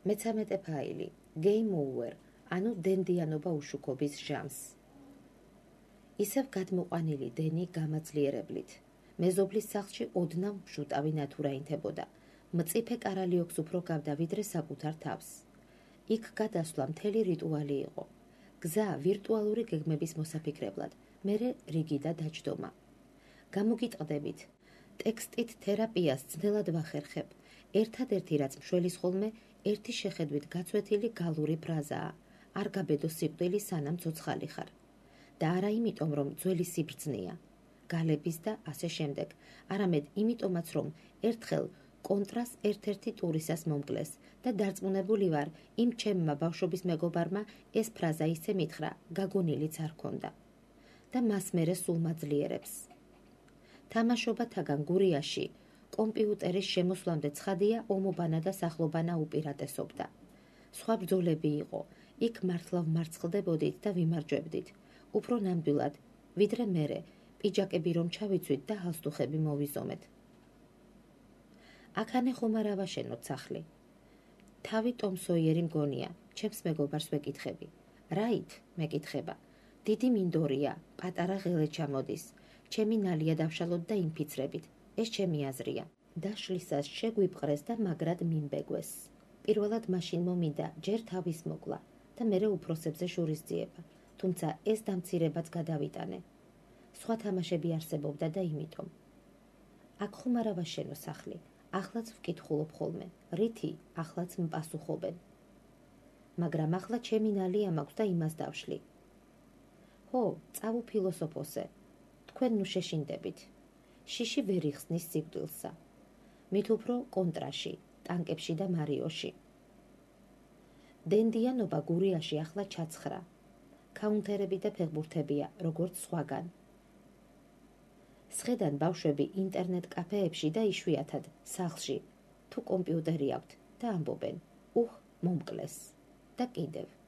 მე-13 ფაილი Game Over, ანუ დენდიანობა უშუქობის ჟამს. ისევ გადმოყვანილი დენი გამაძლიერებლით. მეზობლის სახლში ოდნავ მშუტავი ნათურა ინთებოდა. მწიფე კარალიოქს უფრო გავდა ვიდრე საკუთარ თავს. იქ გადასვლა მთელი რიტუალი იყო. გზა ვირტუალური გეგმების მოსაფიქრებლად, მერე რიგი და დაჯდომა. გამოგიტყდებით, ტექსტით თერაპიას ძნელად ვახერხებ. ერთადერთი რაც მშველის ხოლმე, ერთი შეხედვით გაცვეთილი გალური ფრაზაა. არ გაბედო სიკვდილი სანამ ცოცხალი ხარ. და არა იმიტომ, რომ ძველი სიბრძნეა, გალების და ასე შემდეგ, არამედ იმიტომაც, რომ ერთხელ კონტრას ერთ-ერთი ტურისას მომკლეს და დარწმუნებული ვარ, იმ ჩემმა ბავშვობის მეგობარმა ეს ფრაზა ისე მითხრა, გაგონილიც არ ქონდა. და მას მერე სულ მაძლიერებს. თამაშობათაგან გურიაში კომპიუტერის შემოსვლამდე ცხადია ომობანა და სახლობანა უპირატესობდა. სხვა ბრძოლები იყო, იქ მართლა ვმარცხლდებოდით და ვიმარჯვებდით, უფრო ნამდვილად, ვიდრე მერე, პიჯაკები რომ ჩავიცვით და ჰალსტუხები მოვიზომეთ. აქანე ხომ არ ავაშენოთ სახლი. თავი ტომ სოიერი მგონია, ჩემს მეგობარს ვეკითხები. რაით, მეკითხება. დიდი მინდორია, პატარა ღელე ჩამოდის. ჩემი ნალია დავშალოთ და ინფიცრებით. ეს ჩემი აზრია. დაშლისას შეგვიპყრეს და მაგრად მიმბეგვეს. პირველად მაშინ მომინდა ჯერ თავის მოკლა და მერე უფროსებზე შურისძიება, თუმცა ეს დამცირებაც გადავიტანე. სხვა თამაშები არსებობდა და იმიტომ. აქ ხომ არ ავაშენო სახლი, ახლაც ვკითხულობ ხოლმე, რითი ახლაც მპასუხობენ. მაგრამ ახლა ჩემი ნალია მაქვს და იმას დავშლი. ჰო, წავუფილოსოფოსე, თქვენ ნუ შეშინდებით. შიში ვერ იხსნის სიკვდილსა. მით უფრო კონტრაში, ტანკებში და მარიოში. დენდიანობა გურიაში ახლა ჩაცხრა. კაუნტერები და ფეხბურთებია, როგორც სხვაგან. სხედან ბავშვები ინტერნეტ კაფეებში და იშვიათად სახლში, თუ კომპიუტერი აქვთ და ამბობენ, მომკლეს და კიდევ.